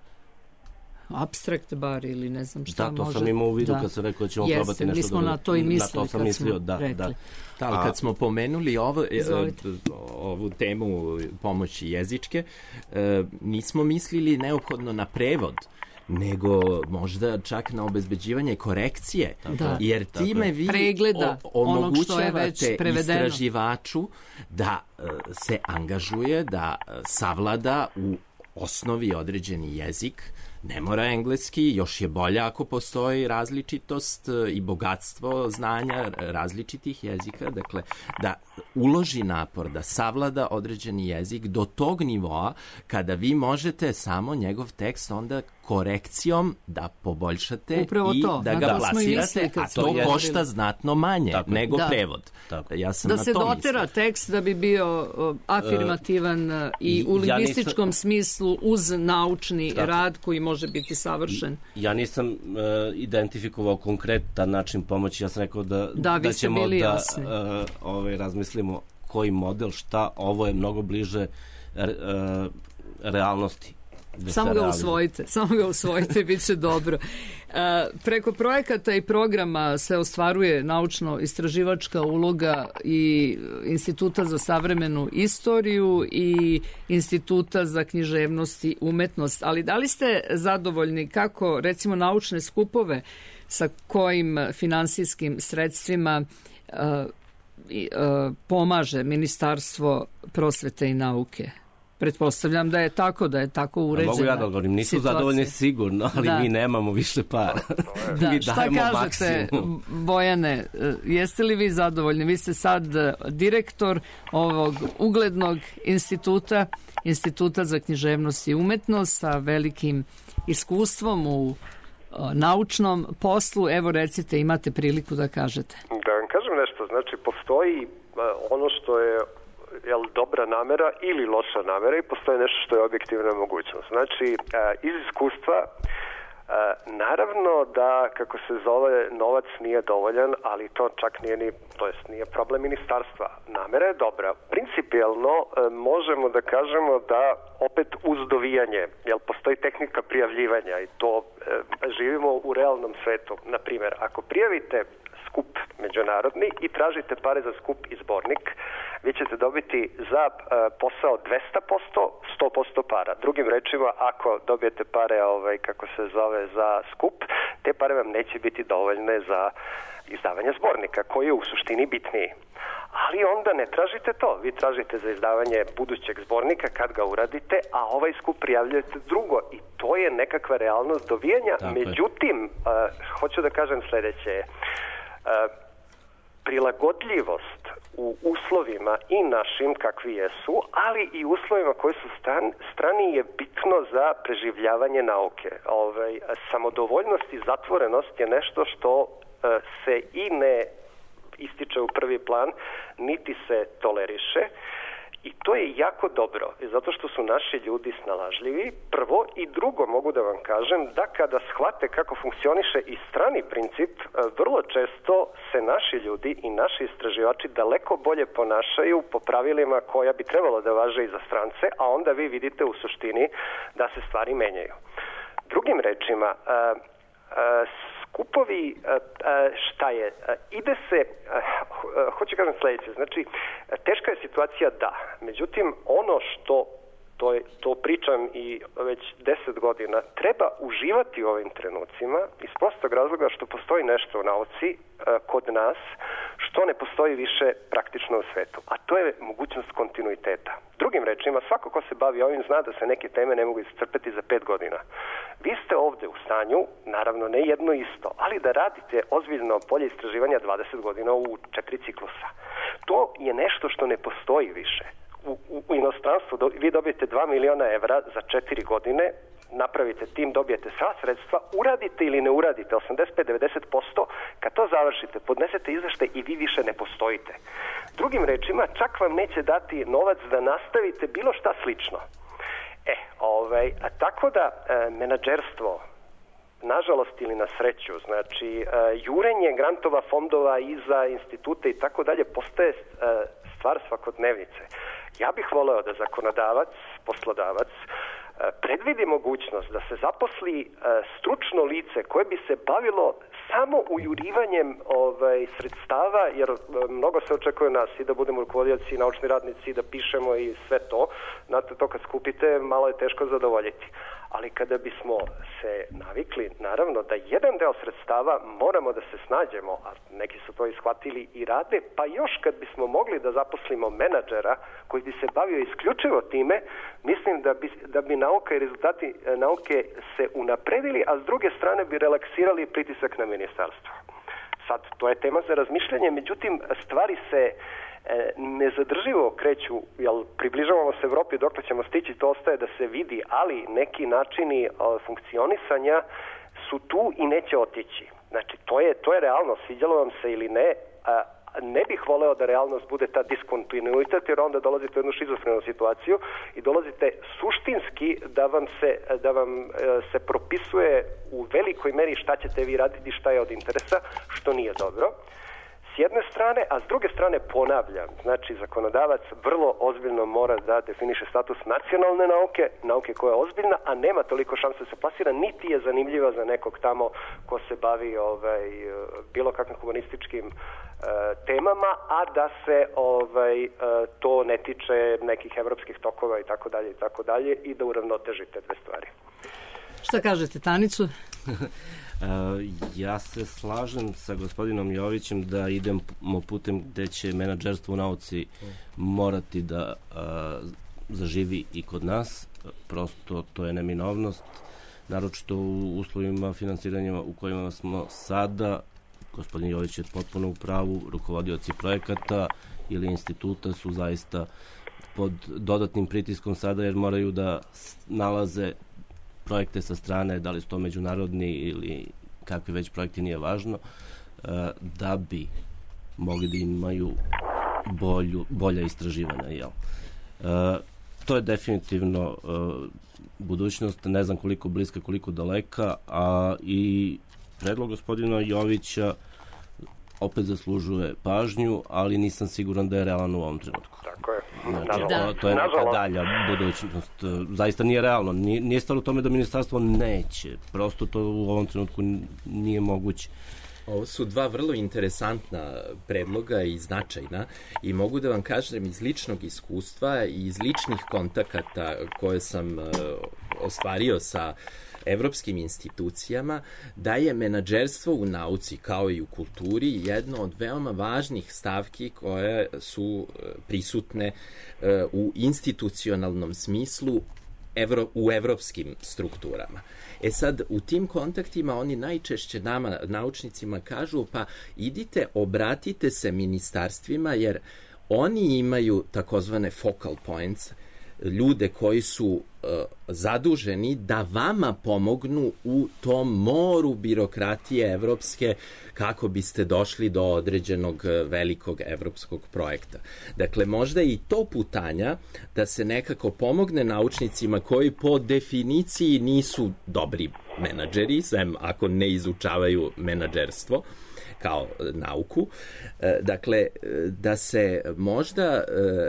abstrakt bar ili ne znam šta može... Da, to sam imao u vidu kad sam rekao da ćemo probati nešto. Mi smo na to i mislili kad smo rekli. Ali kad smo pomenuli ovu temu pomoći jezičke, nismo mislili neophodno na prevod, nego možda čak na obezbeđivanje korekcije, jer time vi omogućavate istraživaču da se angažuje, da savlada u osnovi određeni jezik, ne mora engleski, još je bolje ako postoji različitost i bogatstvo znanja različitih jezika, dakle da uloži napor, da savlada određeni jezik do tog nivoa kada vi možete samo njegov tekst onda korekcijom da poboljšate i da ga plasirate, a to košta znatno manje nego prevod. Da se dotera tekst da bi bio afirmativan i u lingvističkom smislu uz naučni rad koji može biti savršen. Ja nisam identifikovao konkretan način pomoći, ja sam rekao da ćemo da razmislimo koji model, šta, ovo je mnogo bliže realnosti. Samo ga usvojite, bit će dobro. Preko projekata i programa se ostvaruje naučno-istraživačka uloga i Instituta za savremenu istoriju i Instituta za književnost i umetnost, ali da li ste zadovoljni kako, recimo, naučne skupove sa kojim finansijskim sredstvima pomaže Ministarstvo prosvete i nauke? Pretpostavljam da je tako uređena. Mogu ja da odgovorim, nisu zadovoljni sigurno, ali mi nemamo više para. Šta kažete, Bojane, jeste li vi zadovoljni? Vi ste sad direktor ovog uglednog Instituta za književnost i umetnost sa velikim iskustvom u naučnom poslu. Evo, recite, imate priliku da kažete. Da vam kažem nešto, znači postoji ono što je dobra namera ili loša namera i postoji nešto što je objektivna mogućnost. Znači, iz iskustva, naravno da, kako se zove, novac nije dovoljan, ali to čak nije problem ministarstva. Namera je dobra. Principijelno možemo da kažemo da opet uz dovijanje, jer postoji tehnika prijavljivanja i to živimo u realnom svetu. Naprimjer, ako prijavite skup međunarodni i tražite pare za skup i zbornik, vi ćete dobiti za posao 200%, 100% para. Drugim rečima, ako dobijete pare, kako se zove, za skup, te pare vam neće biti dovoljne za izdavanje zbornika, koji je u suštini bitniji. ali onda ne tražite to. Vi tražite za izdavanje budućeg zbornika kad ga uradite, a ovaj skup prijavljujete drugo i to je nekakva realnost dovijanja. Međutim, hoću da kažem sledeće, prilagodljivost u uslovima i našim kakvi jesu, ali i uslovima koji su strani je bitno za preživljavanje nauke. Samodovoljnost i zatvorenost je nešto što se i ne ističe u prvi plan, niti se toleriše i to je jako dobro, zato što su naši ljudi snalažljivi, prvo, i drugo mogu da vam kažem da kada shvate kako funkcioniše i strani princip, vrlo često se naši ljudi i naši istraživači daleko bolje ponašaju po pravilima koja bi trebalo da važe i za strance, a onda vi vidite u suštini da se stvari menjaju. Drugim rečima, skupovi, šta je? Ide se, hoću kažem sledeće, znači, teška je situacija, da. Međutim, ono što, to pričam i već 10 godina, treba uživati u ovim trenucima iz prostog razloga što postoji nešto u nauci kod nas što ne postoji više praktično u svetu, a to je mogućnost kontinuiteta. Drugim rečima, svako ko se bavi ovim zna da se neke teme ne mogu iscrpeti za 5 godina. Vi ste ovde u stanju, naravno ne jedno isto, ali da radite ozbiljno polje istraživanja 20 godina u 4 ciklusa. To je nešto što ne postoji više. U inostranstvu vi dobijete 2 miliona evra za 4 godine, napravite tim, dobijete sva sredstva, uradite ili ne uradite 85-90%, kad to završite, podnesete izveštaj i vi više ne postojite. Drugim rečima, čak vam neće dati novac da nastavite bilo šta slično. Tako da menadžerstvo, nažalost ili na sreću, znači jurenje grantova, fondova i za institute i tako dalje postaje stvar svakodnevnice. Ja bih voleo da zakonodavac, poslodavac, predvidi mogućnost da se zaposli stručno lice koje bi se bavilo samo ujurivanjem sredstava, jer mnogo se očekuje nas i da budemo rukovodioci, naučni radnici, da pišemo i sve to. Znate, to kad skupite, malo je teško zadovoljiti. Ali kada bismo se navikli, naravno, da jedan deo sredstava moramo da se snađemo, a neki su to ishvatili i rade, pa još kad bismo mogli da zaposlimo menadžera koji bi se bavio isključivo time, mislim da bi nauka i rezultati nauke se unapredili, a s druge strane bi relaksirali pritisak na ministarstvo. Sad, to je tema za razmišljanje, međutim, stvari se nezadrživo kreću, jel približavamo se Evropi, dokle ćemo stići, to ostaje da se vidi, ali neki načini funkcionisanja su tu i neće otići. Znači, to je realnost, sviđalo vam se ili ne, ne bih voleo da realnost bude ta diskontinuitet, jer onda dolazite u jednu šizofrenu situaciju i dolazite suštinski da vam se propisuje u velikoj meri šta ćete vi raditi, šta je od interesa, što nije dobro. S jedne strane, a s druge strane ponavljam, znači zakonodavac vrlo ozbiljno mora da definiše status nacionalne nauke koja je ozbiljna, a nema toliko šanse da se plasira, niti je zanimljiva za nekog tamo ko se bavi bilo kakvim humanističkim temama, a da se to ne tiče nekih evropskih tokova i tako dalje i da uravnoteži te dve stvari. Šta kažete, Tanicu? Ja se slažem sa gospodinom Jovićem da idemo putem gde će menadžerstvo u nauci morati da zaživi i kod nas. Prosto to je neminovnost, naročito u uslovima finansiranja u kojima smo sada. Gospodin Jović je potpuno u pravu, rukovodioci projekata ili instituta su zaista pod dodatnim pritiskom sada jer moraju da nalaze projekte sa strane, da li su to međunarodni ili kakvi već projekti, nije važno, da bi mogli da imaju bolja istraživanja. Jel? To je definitivno budućnost, ne znam koliko bliska, koliko daleka, a i predlog gospodina Jovića opet zaslužuje pažnju, ali nisam siguran da je realan u ovom trenutku. Tako je. Znači, to je neka dalja budućnost. Zaista nije realno. Nije stvar u tome da ministarstvo neće. Prosto to u ovom trenutku nije moguće. Ovo su dva vrlo interesantna predloga i značajna i mogu da vam kažem iz ličnog iskustva i iz ličnih kontakata koje sam ostvario sa evropskim institucijama da je menadžerstvo u nauci kao i u kulturi jedno od veoma važnih stavki koje su prisutne u institucionalnom smislu u evropskim strukturama. Sad, u tim kontaktima oni najčešće nama, naučnicima, kažu pa idite, obratite se ministarstvima jer oni imaju takozvane focal points, ljude koji su zaduženi da vama pomognu u tom moru birokratije evropske kako biste došli do određenog velikog evropskog projekta. Dakle, možda i to putanja da se nekako pomogne naučnicima koji po definiciji nisu dobri menadžeri, sem ako ne izučavaju menadžerstvo kao nauku. Dakle, da se možda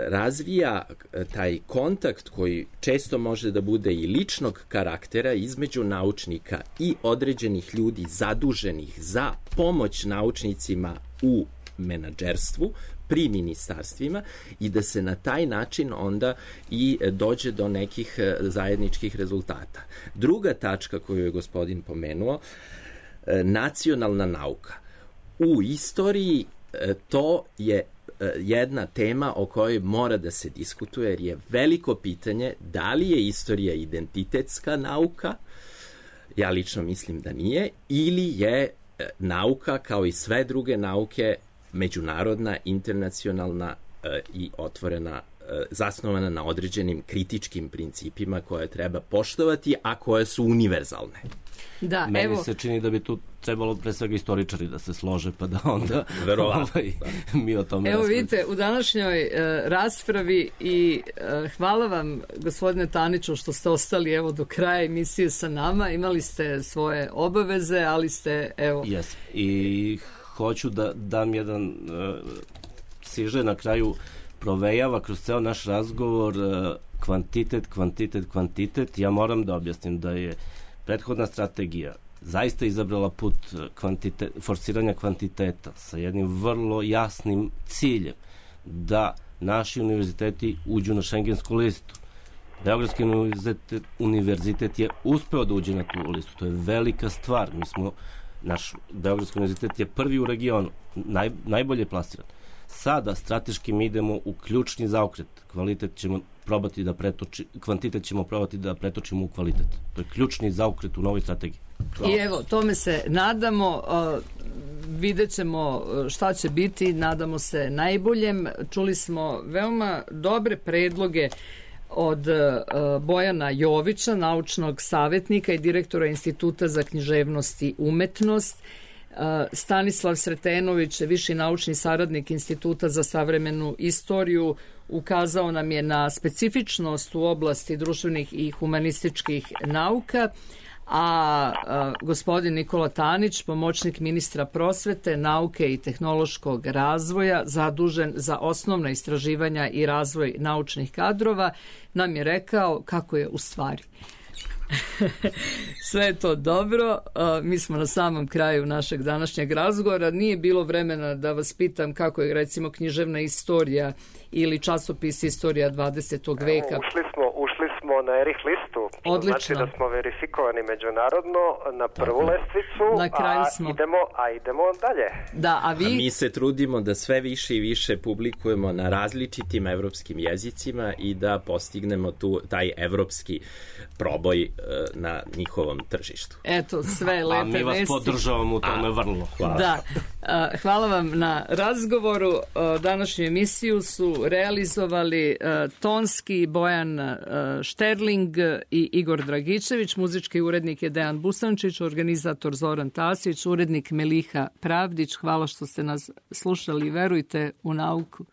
razvija taj kontakt koji često može da bude i ličnog karaktera između naučnika i određenih ljudi zaduženih za pomoć naučnicima u menadžerstvu pri ministarstvima i da se na taj način onda i dođe do nekih zajedničkih rezultata. Druga tačka koju je gospodin pomenuo, nacionalna nauka. U istoriji to je jedna tema o kojoj mora da se diskutuje jer je veliko pitanje da li je istorija identitetska nauka, ja lično mislim da nije, ili je nauka kao i sve druge nauke međunarodna, internacionalna i otvorena, zasnovana na određenim kritičkim principima koje treba poštovati, a koje su univerzalne. Da, meni se čini da bi tu trebalo pre svega istoričari da se slože pa da onda mi o tome Evo vidite, u današnjoj raspravi i hvala vam gospodine Taniću što ste ostali evo do kraja emisije sa nama, imali ste svoje obaveze, ali ste evo... Jes, i hoću da dam jedan siže na kraju provejava kroz ceo naš razgovor kvantitet. Ja moram da objasnim da je prethodna strategija zaista izabrala put forsiranja kvantiteta sa jednim vrlo jasnim ciljem da naši univerziteti uđu na šengensku listu. Beogradski univerzitet je uspeo da uđe na tu listu. To je velika stvar. Naš Beogradski univerzitet je prvi u regionu, najbolje plasiran. Sada strateški mi idemo u ključni zaokret. Kvantitet ćemo probati da pretočimo u kvalitet. To je ključni zaokret u novoj strategiji. Hvala. I evo, tome se nadamo, vidjet ćemo šta će biti, nadamo se najboljem. Čuli smo veoma dobre predloge od Bojana Jovića, naučnog savjetnika i direktora Instituta za književnost i umetnost, Stanislav Sretenović, viši naučni saradnik Instituta za savremenu istoriju, ukazao nam je na specifičnost u oblasti društvenih i humanističkih nauka, a gospodin Nikola Tanić, pomoćnik ministra prosvete, nauke i tehnološkog razvoja, zadužen za osnovna istraživanja i razvoj naučnih kadrova, nam je rekao kako je u stvari. Sve je to dobro. Mi smo na samom kraju našeg današnjeg razgovora. Nije bilo vremena da vas pitam kako je recimo književna istorija ili časopis Istorija 20. veka. Ušli smo na Erich listu. Odlično. Znači da smo verifikovani međunarodno na prvu lestvicu, na kraju smo. Idemo dalje. Da, a mi se trudimo da sve više i više publikujemo na različitim evropskim jezicima i da postignemo taj evropski proboj na njihovom tržištu. Eto, sve lepe vesti. A mi vas podržavamo u tome vrlo. Hvala. Da. Hvala vam na razgovoru. Današnju emisiju su realizovali tonski Bojan Šterling i Igor Dragičević, muzički urednik je Dejan Busančić, organizator Zoran Tasić, urednik Meliha Pravdić. Hvala što ste nas slušali i verujte u nauku.